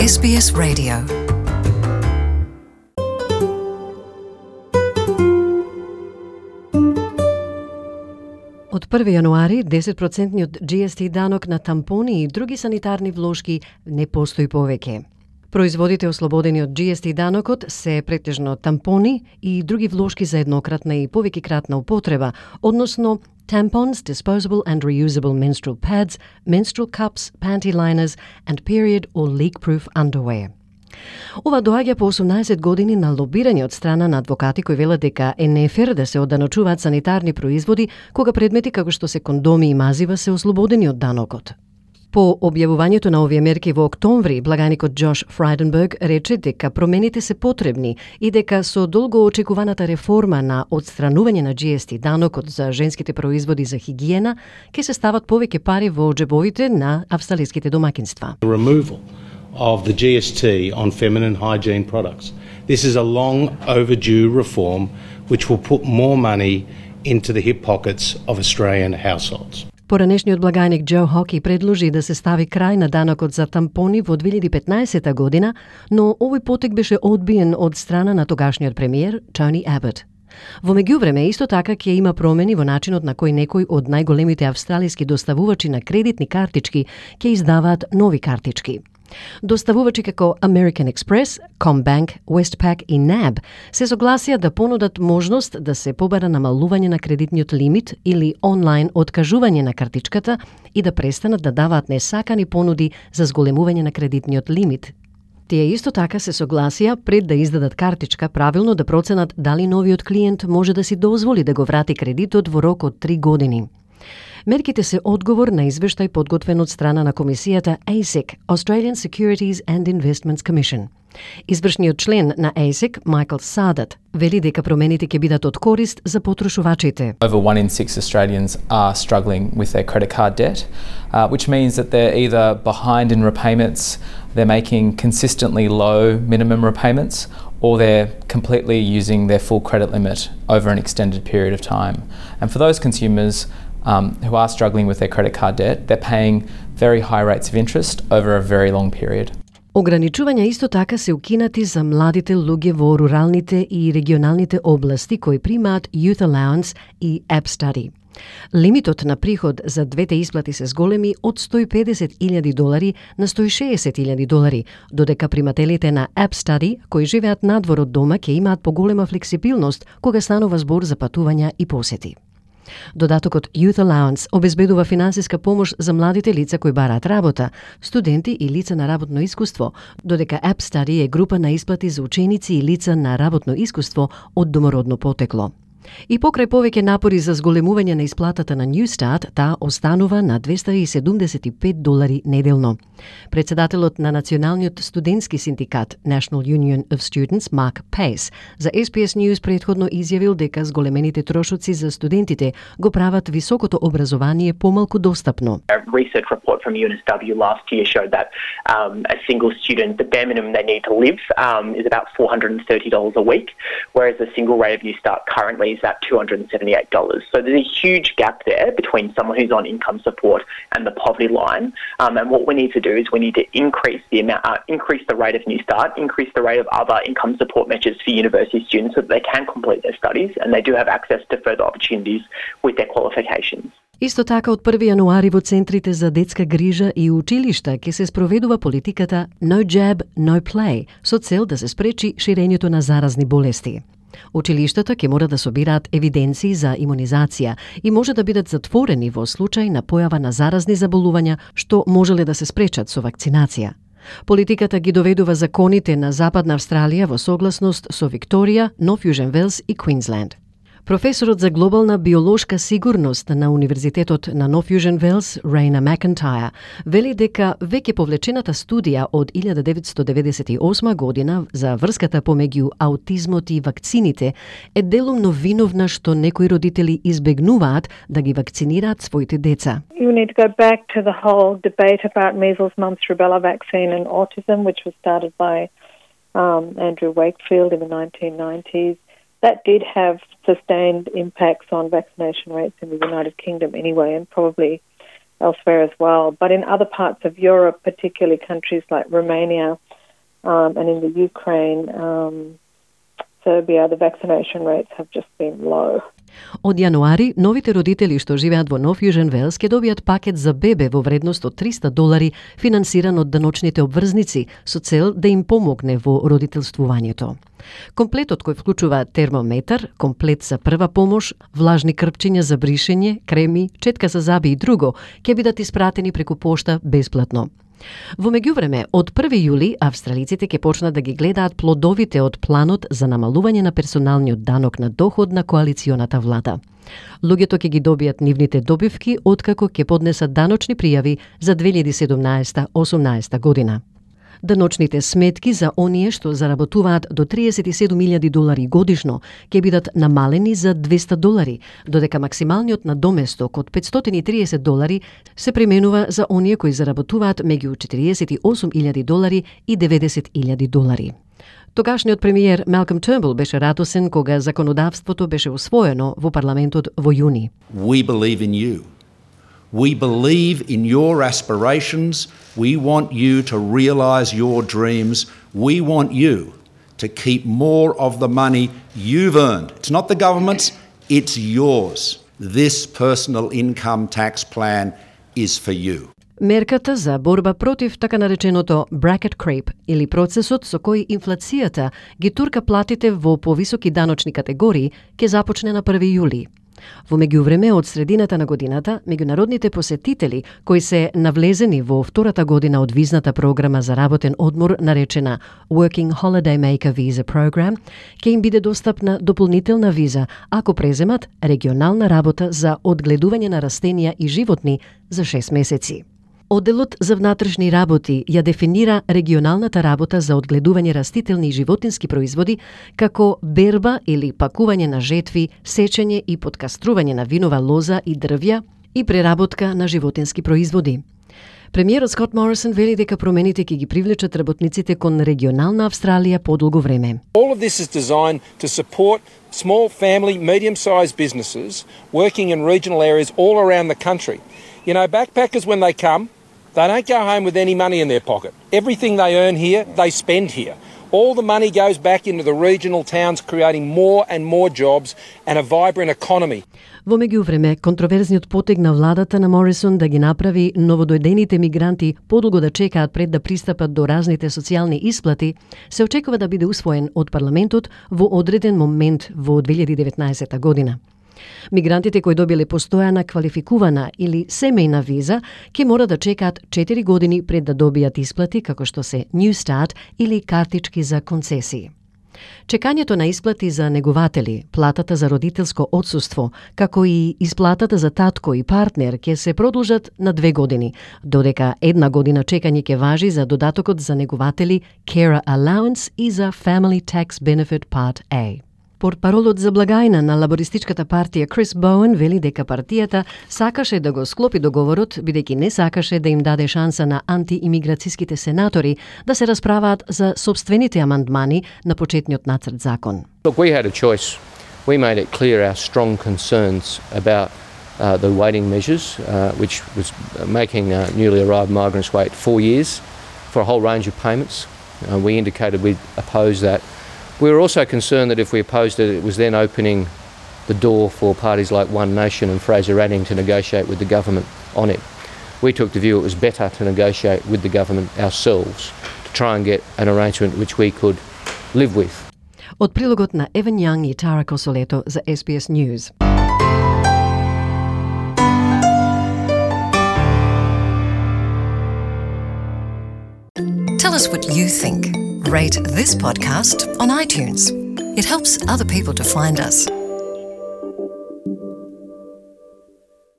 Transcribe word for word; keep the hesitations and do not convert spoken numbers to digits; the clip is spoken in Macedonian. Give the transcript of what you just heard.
Ес Би Ес Radio. Од први јануари десет процентниот Джи Ес Ти данок на тампони и други санитарни влошки не постои повеќе. Производите ослободени од Джи Ес Ти данокот се претежно тампони и други влошки за еднократна и повеќекратна употреба, односно tampons, disposable and reusable menstrual pads, menstrual cups, panty liners and period or leak-proof underwear. Ова доаѓа по осумнаесет години на лобирање од страна на адвокати кои велат дека е нефер да се одданочуваат санитарни производи кога предмети како што се кондоми и мазива се ослободени од данокот. По објавувањето на овие мерки во октомври, благаникот Джош Фрайденберг рече дека промените се потребни и дека со долго очекуваната реформа на одстранување на Джи Ес Ти данокот за женските производи за хигиена ќе се стават повеќе пари во џебовите на австралиските домакинства. The removal of the G S T on feminine hygiene products. This is a long overdue reform which will put more money into the hip pockets of Australian households. Поранешниот благаник Џо Хоки предложи да се стави крај на данокот за тампони во две илјади и петнаесета година, но овој потек беше одбиен од страна на тогашниот премиер Тони Абот. Во меѓувреме, исто така ќе има промени во начинот на кој некои од најголемите австралиски доставувачи на кредитни картички ќе издаваат нови картички. Доставувачи како American Express, CommBank, Westpac и наб се согласија да понудат можност да се побара намалување на кредитниот лимит или онлайн откажување на картичката и да престанат да даваат несакани понуди за зголемување на кредитниот лимит. Тие исто така се согласија пред да издадат картичка правилно да проценат дали новиот клиент може да си дозволи да го врати кредитот во рок од три години. Мерките се одговор на извештај подготвен од страна на комисијата А С И C, Australian Securities and Investments Commission. Извршниот член на А С И C, Майкл Садат, вели дека промените ќе бидат од корист за потрошувачите. Over one in six Australians are struggling with their credit card debt, uh, which means that they're either behind in repayments, they're making consistently low minimum repayments, or they're completely using their full credit limit over an extended period of time. And for those consumers um, who are struggling with their credit card debt, they're paying very high rates of interest over a very long period. Ограничувања исто така се укинати за младите луѓе во руралните и регионалните области кои примаат Youth Allowance и App Study. Лимитот на приход за двете исплати се зголеми од сто и педесет илјади долари на сто и шеесет илјади долари, додека примателите на App Study кои живеат надвор од дома ќе имаат поголема флексибилност кога станува збор за патувања и посети. Додатокот Youth Allowance обезбедува финансиска помош за младите лица кои бараат работа, студенти и лица на работно искуство, додека App Study е група на исплати за ученици и лица на работно искуство од домородно потекло. И покрај повеќе напори за зголемување на исплатата на Newstart, таа останува на двеста и седумдесет и пет долари неделно. Председателот на Националниот студентски синдикат National Union of Students, Марк Пейс, за Ес Би Ес News предходно изјавил дека зголемените трошоци за студентите го прават високото образование помалку достапно. A research report from U N S W last year showed that um, a single student, the bare minimum they need to live um, is about four hundred thirty dollars a week, whereas the single rate of Newstart currently is at two hundred seventy-eight dollars. So there's a huge gap there between someone who's on income support and the poverty line. Um, and what we need to do is we need to increase the amount, uh, increase the rate of Newstart, increase the rate of other income support measures for university students so that they can complete their studies and they do have access to further opportunities with their qualifications. Исто така од први јануари во центрите за детска грижа и училишта ќе се спроведува политиката No Jab, No Play со цел да се спречи ширењето на заразни болести. Училиштата ќе мора да собираат евиденции за имунизација и може да бидат затворени во случај на појава на заразни заболувања што можеле да се спречат со вакцинација. Политиката ги доведува законите на Западна Австралија во согласност со Викторија, Нов Јужен Велс и Квинсленд. Професорот за глобална биолошка сигурност на Универзитетот на Нов Јужен Велс, Рейна Макентајр, вели дека веќе повлечената студија од илјада деветстотини деветдесет и осма година за врската помеѓу аутизмот и вакцините е делумно виновна што некои родители избегнуваат да ги вакцинираат своите деца. You need to go back to the whole debate about measles, mumps, rubella vaccine and autism, which was started by um, Andrew Wakefield in the nineteen nineties. That did have sustained impacts on vaccination rates in the United Kingdom anyway, and probably elsewhere as well. But in other parts of Europe, particularly countries like Romania, um, and in the Ukraine, um, Serbia, the vaccination rates have just been low. Од јануари, новите родители што живеат во Нов Јужен Велс ќе добијат пакет за бебе во вредност од триста долари, финансиран од даночните обврзници, со цел да им помогне во родителствувањето. Комплетот кој вклучува термометар, комплет за прва помош, влажни крпчиња за бришење, креми, четка за заби и друго, ќе бидат испратени преку пошта бесплатно. Во меѓувреме, од први јули, австралиците ќе почнат да ги гледаат плодовите од планот за намалување на персоналниот данок на доход на коалиционата влада. Луѓето ќе ги добијат нивните добивки откако ќе поднесат даночни пријави за две илјади седумнаесета осумнаесета година. Даночните сметки за оние што заработуваат до триесет и седум илјади долари годишно ќе бидат намалени за двеста долари, додека максималниот надоместок од петстотини и триесет долари се применува за оние кои заработуваат меѓу четириесет и осум илјади долари и деветдесет илјади долари. Тогашниот премиер Малком Тернбул беше радосен кога законодавството беше усвоено во парламентот во јуни. We believe in you. We believe in your aspirations. We want you to realise your dreams. We want you to keep more of the money you've earned. It's not the government's, it's yours. This personal income tax plan is for you. Мерката за борба против така нареченото bracket creep или процесот со кој инфлацијата ги турка платите во повисоки даночни категории ќе започне на први јули. Во меѓувреме, од средината на годината, меѓународните посетители кои се навлезени во втората година од визната програма за работен одмор наречена Working Holiday Maker Visa Program, ќе им биде достапна дополнителна виза ако преземат регионална работа за одгледување на растенија и животни за шест месеци. Одделот за внатрешни работи ја дефинира регионалната работа за одгледување растителни и животински производи како берба или пакување на жетви, сечење и подкастрување на винова лоза и дрвја и преработка на животински производи. Премиерот Скот Морисон вели дека промените ќе ги привлечат работниците кон регионална Австралија подолго време. All of this is designed to support small family, medium-sized businesses working in regional areas all around the country. You know, backpackers when they come, they don't go home with any money in their pocket. Everything they earn here, they spend here. All the money goes back into the regional towns, creating more and more jobs and a vibrant economy. Во меѓувреме, контроверзниот потег на владата на Морисон да ги направи новодојдените мигранти подолго да чекаат пред да пристапат до разните социјални исплати, се очекува да биде усвоен од парламентот во одреден момент во две илјади деветнаесета година. Мигрантите кои добиле постојана, квалификувана или семејна виза ќе мора да чекаат четири години пред да добијат исплати како што се New Start или картички за концесии. Чекањето на исплати за негователи, платата за родителско отсуство, како и исплатата за татко и партнер ќе се продолжат на две години, додека една година чекање ќе важи за додатокот за негователи Carer Allowance и за Family Tax Benefit Part A. Портпаролот за благајна на лабористичката партија Крис Боуен вели дека партијата сакаше да го склопи договорот, бидејќи не сакаше да им даде шанса на антиимиграцијските сенатори да се расправаат за собствените амандмани на почетниот нацрт закон. Look, we had a choice. We made it clear our strong concerns about uh, the waiting measures, uh, which was making uh, newly arrived migrants wait four years for a whole range of payments. Uh, we indicated we'd oppose that. We were also concerned that if we opposed it, it was then opening the door for parties like One Nation and Fraser Anning to negotiate with the government on it. We took the view it was better to negotiate with the government ourselves to try and get an arrangement which we could live with. Од прилогот на Еван Јанг и Тара Косолето за S B S News. Tell us what you think. Rate this podcast on iTunes. It helps other people to find us.